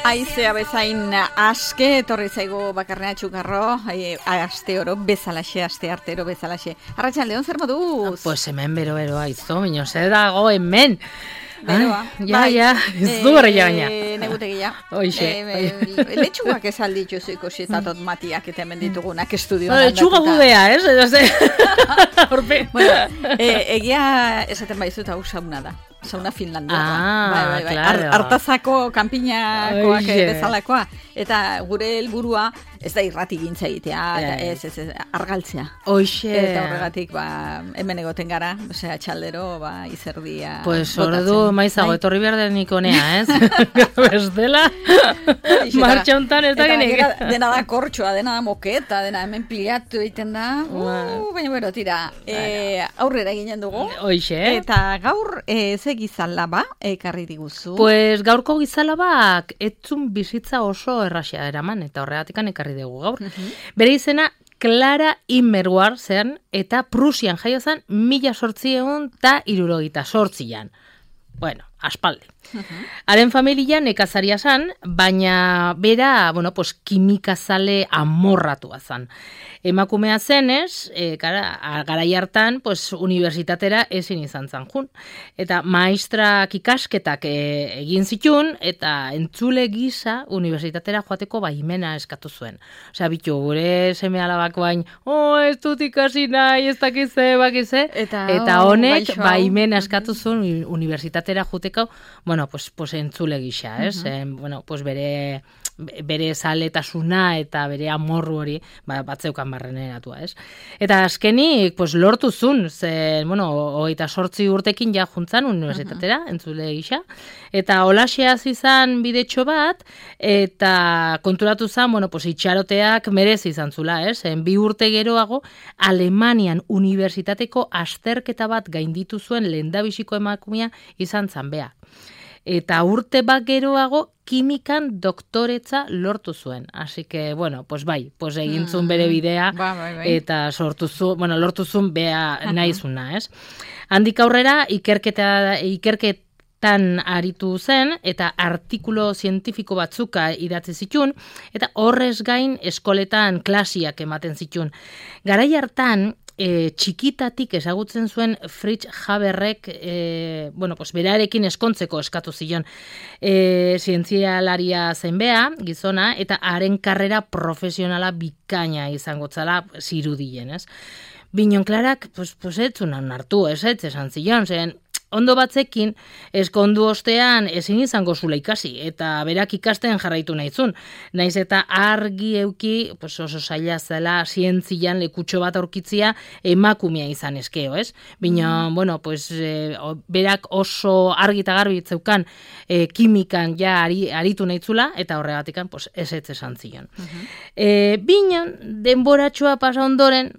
Aizea bezain aske, etorri zaigu bakarnea txukarro, aste oro bezalaxe, aste artero bezalaxe. Arratxaldeon, zer moduz? Pues hemen bero aizo, minio, zer dago hemen. Beroa. Ja, ez du horreia baina. Negutegia. Oixe. Letxugak ez alditzu ikusitatot matiak eta hemen ditugunak estudioan Letxuga gudea, ez? Horpe. Bueno, egia esaten baizuta hau sauna da. Sauna Finlandiakoa. Claro. Artazako, kanpinakoak bezalakoa. Eta gure helburua ez da irrati gintza egitea, ez, argaltzea. Oixe. Eta horregatik, hemen egoten gara, osea, txaldero, izerdia. Pues ordu maizago, etorri behar denik honea, ez? Bestela, martxa hontan ez da genik. Eta dena da kortxoa, dena da moketa, dena hemen pilatu egiten da. Baina bero, tira, aurrera ginen dugu. Oixe. Eta gaur, ze gizalaba ekarri diguzu? Pues gaurko gizalabak etzun bizitza oso erraxea eraman, eta horregatikan ekarri dugu gaur. Bere izena Clara Immerwahr zen, eta Prusian jaio zen 1878an. Bueno, aspaldi. Haren familia nekazaria zen, baina bera, kimikazale amorratua zen. Emakumea zenez, garai hartan, unibertsitatera ezin izan zen jun. Eta maestrak ikasketak egin zitun, eta entzule gisa unibertsitatera joateko baimena eskatu zuen. Osea, bitu, gure seme alabak bain, ez dut ikasi nahi, ez dakize, bakize. Eta honek baimena eskatu zuen unibertsitatera joateko, entzule gisa, ez? Bere zaletasuna eta bere amorru hori batzeukan barreneratua, ez? Eta azkenik, lortu zun, zen, 28 urtekin ja juntzan unibertsitatera, entzule gisa, eta holaxea izan bidetxo bat, eta konturatu zen, itxaroteak merezi izan zula, ez? 2 urte geroago, Alemanian unibertsitateko azterketa bat gainditu zuen lehendabiziko emakumea izan zan bea. Eta urte bat geroago kimikan doktoretza lortu zuen. Así que, egin zuen bere bidea, eta lortu zuen bea nahizuna, ez? Handik aurrera, ikerketan aritu zen, eta artikulo zientifiko batzuka idatzi zitun, eta horrez gain eskoletan klasiak ematen zitun. Garai hartan, txikitatik ezagutzen zuen Fritz Haberrek, berarekin eskontzeko eskatu zion. Zientzialaria zen bea, gizona, eta haren karrera profesionala bikaina izango zala zirudien, ez? Binon Klarak, ez zunan hartu, ez esan zion, zen, ondo batzekin, eskondu ostean ezin izango zula ikasi, eta berak ikasten jarraitu nahizun. Naiz eta argi euki, oso zaila zela zientzian lekutxo bat aurkitzia emakumea izan eskeo, ez? Bina, berak oso argi eta garbi zeukan kimikan ja aritu nahitzula, eta horregatikan ez esan zion. Bina, denboratxoa pasa ondoren,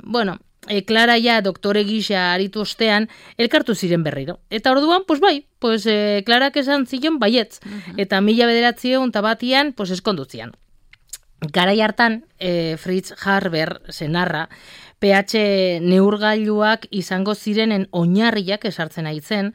Clara ja doktore gisa aritu ostean, elkartu ziren berriro. Eta orduan, Clarak esan zion baietz. Eta 1901 eskondutzian. Garai hartan, Fritz Haber senarra, pH neurgailuak izango zirenen oinarriak esartzen aitzen,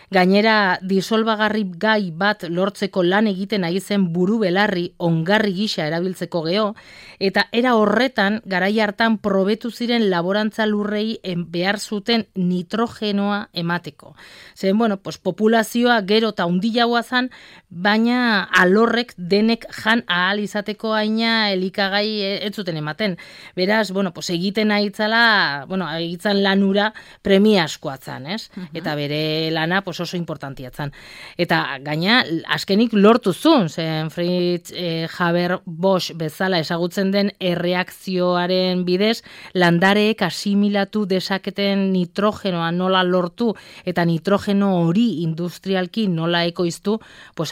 gainera disolbagarri gai bat lortzeko lan egiten ari zen buru belarri ongarri gisa erabiltzeko geho, eta era horretan garai hartan probetu ziren laborantza lurrei behar zuten nitrogenoa emateko. Zen, populazioa gero eta hundilagoa zen, baina alorrek denek jan ahal izateko aina elikagai ez zuten ematen. Beraz, egiten ahitzala, egitzen lanura premiaskoa zen, ez? Eta bere lana, oso importantia zen. Eta gaina, azkenik lortu zuen, zen Fritz Haber-Bosch bezala ezagutzen den erreakzioaren bidez, landareek asimilatu dezaketen nitrogenoa nola lortu, eta nitrogeno hori industrialki nola ekoiztu,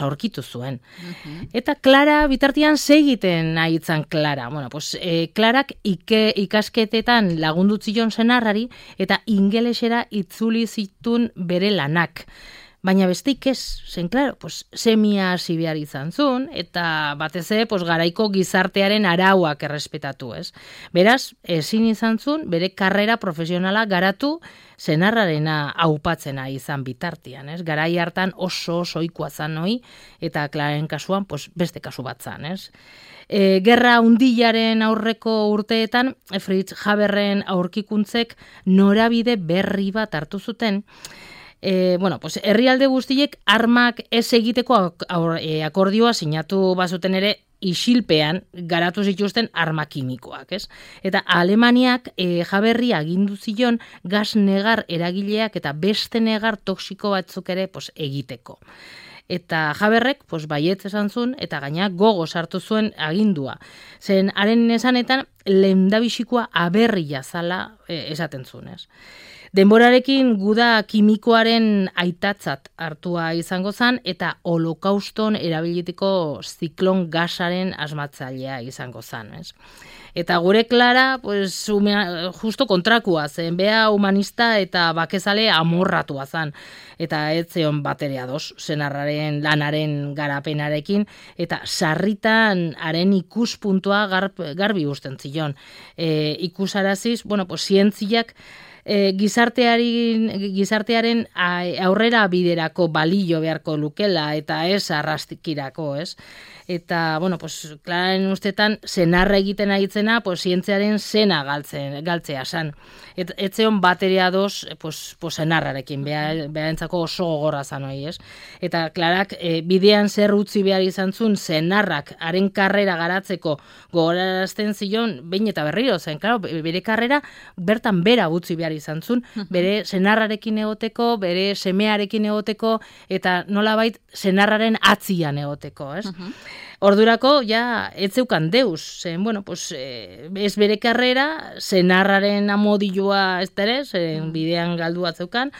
aurkitu zuen. Eta Clara bitartian segiten nahitzen Clara. Clarak ikasketetan lagundutzion senarrari, eta ingelesera itzuli zitun bere lanak. Baina besteik ez, zen, klaro, pues, semia hasi behar izan zuen, eta batez ere, pues, garaiko gizartearen arauak errespetatu, ez? Beraz, ezin izan zuen, bere karrera profesionala garatu senarrarena aupatzena izan bitartian, ez? Garai hartan oso ohikoa zan hoi, eta Klaren kasuan, pues, beste kasu bat zan, ez? Gerra Undilaren aurreko urteetan, Fritz Haberren aurkikuntzek norabide berri bat hartu zuten. Pues, herrialde guztiek armak ez egiteko akordioa sinatu bazuten ere isilpean garatu zituzten arma kimikoak, ez? Eta Alemaniak Haberri agindu zion gas negar eragileak eta beste negar toxiko batzuk ere pues, egiteko. Eta Haberrek pues, baietz esan zuen eta gaina gogo sartu zuen agindua. Zen haren esanetan lehendabizikoa aberria zala esaten zuen, ez? Denborarekin guda kimikoaren aitatzat hartua izango zen eta holokauston erabiliteko ziklon gasaren asmatzailea izango zen, ez? Eta gure Klara, pues, justo kontrakua zen, bea humanista eta bakezale amorratua zen. Eta ez zeon batere ados, senarraren lanaren garapenarekin, eta sarritan haren ikuspuntua garbi usten zion. Ikusaraziz, pues, zientziak gizartearen aurrera biderako balio beharko lukela eta ez arrastikirako, ez? Eta, pues, Klararen ustetan, senarra egiten aitzena, pues, zientziaren zena galtzea san. Etzeon bateria doz, pues, senarrarekin, beharentzako oso gogorra zan hori, ez? Eta Klarak bidean zer utzi behar izan zuen, senarrak haren karrera garatzeko gogorarazten zion, behin eta berriro zen, claro, bere karrera bertan bera utzi behar izan zuen, bere senarrarekin egoteko, bere semearekin egoteko, eta nolabait senarraren atzian egoteko, ez? Ordurako, ja, ez zeukan deus, zen, pues, ez bere karrera, senarraren amodilua ez ere, zen bidean galdua zeukan,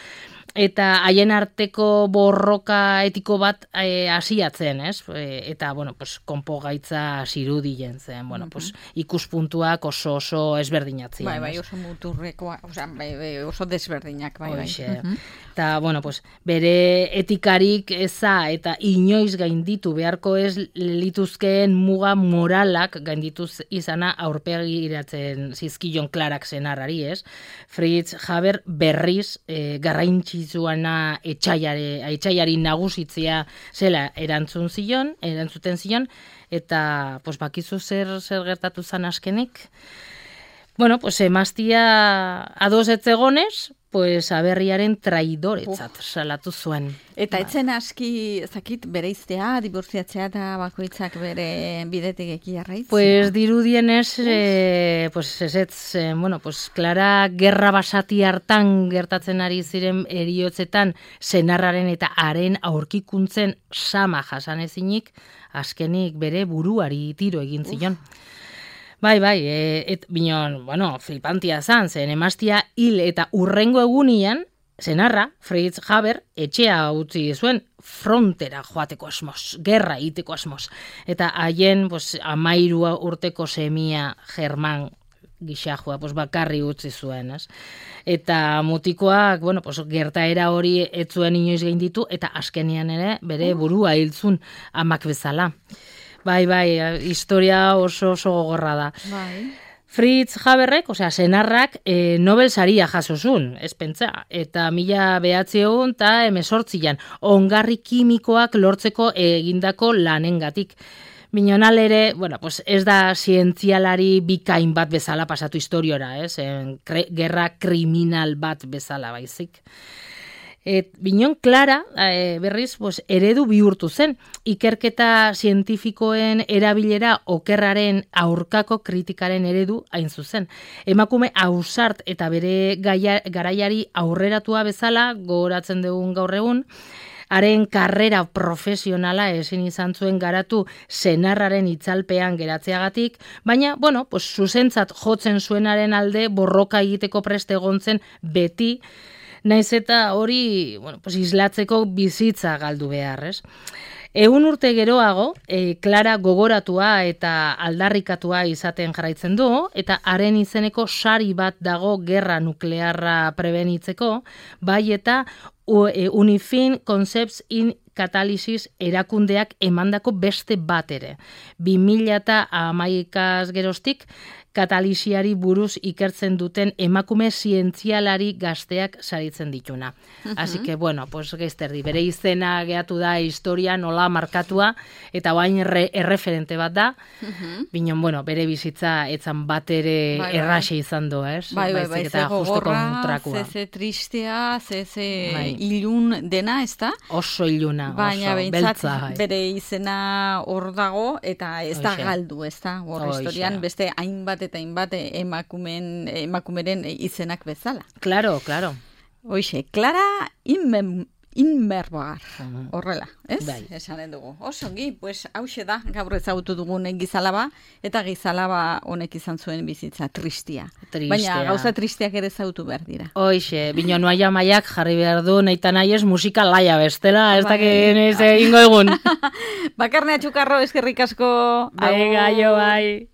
eta haien arteko borroka etiko bat hasiatzen, ez? Eta, pues, konpo gaitza zirudien zen, pues, ikuspuntuak oso ezberdinatzen. Bai, oso muturrekoa, oso desberdinak, bai. Eta, pues, bere etikarik eza eta inoiz gainditu beharko ez lituzkeen muga moralak gaindituz izana aurpegiratzen zizkion Klarak senarrari, ez? Fritz Haber berriz garraintzizuana etxaiari nagusitzea zela erantzuten zion, eta pues, bakizu zer gertatu zan askenik. Pues emaztia ados etzegonez, pues aberriaren traidoretzat salatu zuen. Eta etzen aski, zakit, bereiztea, dibortziatzea eta bakoitzak bere bidetik eki jarraitzea? Pues dirudienez, pues Klara gerra basati hartan gertatzen ari ziren eriotzetan senarraren eta haren aurkikuntzen sama jasanezinik, azkenik bere buruari tiro egin zion. Bai, binon, flipantia zan, zen emaztia hil eta urrengo egunian, senarra, Fritz Haber, etxea utzi zuen frontera joateko asmoz, gerra egiteko asmoz. Eta haien, 13 urteko semia German gixajua, bakarri utzi zuen, ez? Eta mutikoak, gertaera hori ez zuen inoiz gainditu, eta azkenian ere bere burua hiltzun amak bezala. Bai, historia oso gogorra da. Bai. Fritz Haberrek, senarrak, Nobel saria jasozun, ez pentsa, eta 1918an ongarri kimikoak lortzeko egindako lanengatik. Minonal ere, pues ez da zientzialari bikain bat bezala pasatu historiora, ez? Gerra kriminal bat bezala baizik. Binon Klara, berriz, eredu bihurtu zen, ikerketa zientifikoen erabilera okerraren aurkako kritikaren eredu hain zuzen. Emakume ausart eta bere garaiari aurreratua bezala, gogoratzen dugun gaur egun, haren karrera profesionala ezin izan zuen garatu senarraren itzalpean geratzeagatik, baina, zuzentzat jotzen zuenaren alde borroka egiteko preste egontzen beti, naiz eta hori, islatzeko bizitza galdu behar, ez? Egun urte geroago, Clara gogoratua eta aldarrikatua izaten jarraitzen du, eta haren izeneko sari bat dago gerra nuklearra prebenitzeko, bai eta Unifin Concepts in Catalysis erakundeak emandako beste bat ere. 2011 geroztik, katalisiari buruz ikertzen duten emakume zientzialari gazteak saritzen dituna. Así que, bueno, pues geizterdi, bere izena gehatu da historia nola markatua, eta bain erreferente bat da, binon, bueno, bere bizitza etzan bat ere erraxe izan du, ez? Bai, ze gogorra, ze tristea, ze ilun dena, ez da? Oso iluna, baina oso beltza. Bere izena hor dago, eta ez da galdu, ez da? Hor historian beste hainbat eta hainbat emakumeren izenak bezala. Claro. Hoxe, Clara Immerwahr, horrela, ez? Bai. Esanen dugu. Osongi, pues hauxe da, gaur ezagutu dugun gizalaba, eta gizalaba honek izan zuen bizitza tristia. Baina gauza tristiak ere ezagutu behar dira. Hoxe, bino noaia maiak jarri behar du naita nahi ez musika laia bestela, ez dakien ez egingo egun. Bakarnea Txukarro, eskerrik asko. Venga, jo, bai.